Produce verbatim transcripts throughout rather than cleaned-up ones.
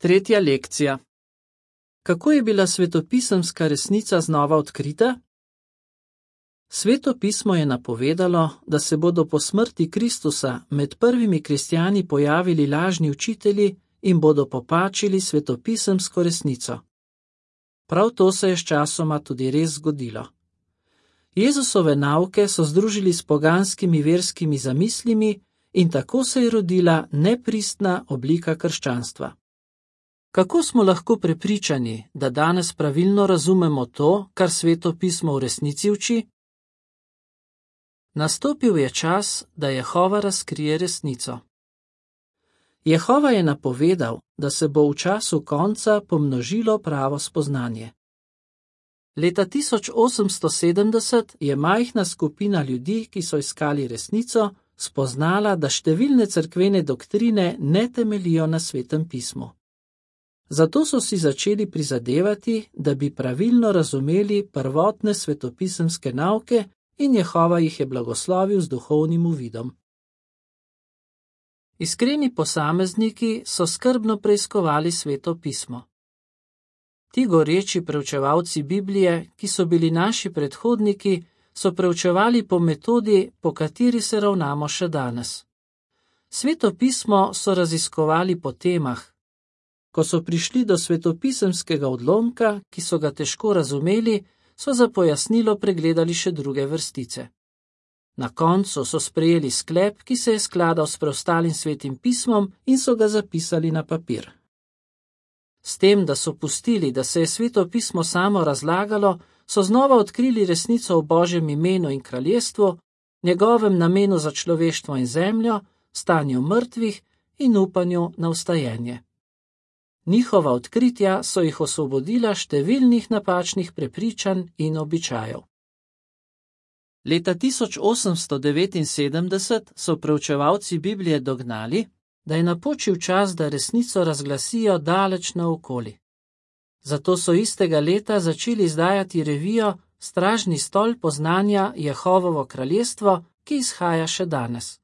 Tretja lekcija. Kako je bila svetopisemska resnica znova odkrita? Sveto pismo je napovedalo, da se bodo po smrti Kristusa med prvimi kristjani pojavili lažni učitelji in bodo popačili svetopisemsko resnico. Prav to se je sčasoma tudi res zgodilo. Jezusove nauke so združili s poganskimi verskimi zamislimi in tako se je rodila nepristna oblika krščanstva. Kako smo lahko prepričani, da danes pravilno razumemo to, kar Sveto pismo v resnici uči? Nastopil je čas, da Jehova razkrije resnico. Jehova je napovedal, da se bo v času konca pomnožilo pravo spoznanje. Leta tisoč osemsto sedemdeset je majhna skupina ljudi, ki so iskali resnico, spoznala, da številne cerkvene doktrine ne temelijo na Svetem pismu. Zato so si začeli prizadevati, da bi pravilno razumeli prvotne svetopisemske nauke in Jehova jih je blagoslovil z duhovnim uvidom. Iskreni posamezniki so skrbno preiskovali Sveto pismo. Ti goreči preučevalci Biblije, ki so bili naši predhodniki, so preučevali po metodi, po kateri se ravnamo še danes. Sveto pismo so raziskovali po temah. Ko so prišli do svetopisemskega odlomka, ki so ga težko razumeli, so za pojasnilo pregledali še druge vrstice. Na koncu so sprejeli sklep, ki se je skladal s preostalim svetim pismom in so ga zapisali na papir. S tem, da so pustili, da se je Sveto pismo samo razlagalo, so znova odkrili resnico o Božjem imenu in kraljestvu, njegovem namenu za človeštvo in zemljo, stanju mrtvih in upanju na vstajenje. Njihova odkritja so jih osvobodila številnih napačnih prepričanj in običajev. Leta tisoč osemsto devetinsedemdeset so preučevalci Biblije dognali, da je napočil čas, da resnico razglasijo daleč naokoli. Zato so istega leta začeli izdajati revijo Stražni stolp poznanja Jehovovo kraljestvo, ki izhaja še danes.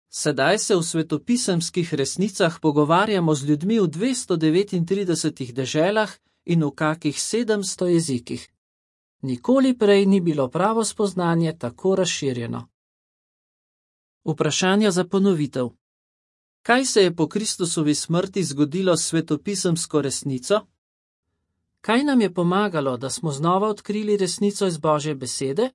Sedaj se v svetopisemskih resnicah pogovarjamo z ljudmi v dvesto devetintridesetih deželah in v kakih sedemsto jezikih. Nikoli prej ni bilo pravo spoznanje tako razširjeno. Vprašanja za ponovitev. Kaj se je po Kristusovi smrti zgodilo s svetopisemsko resnico? Kaj nam je pomagalo, da smo znova odkrili resnico iz Božje besede?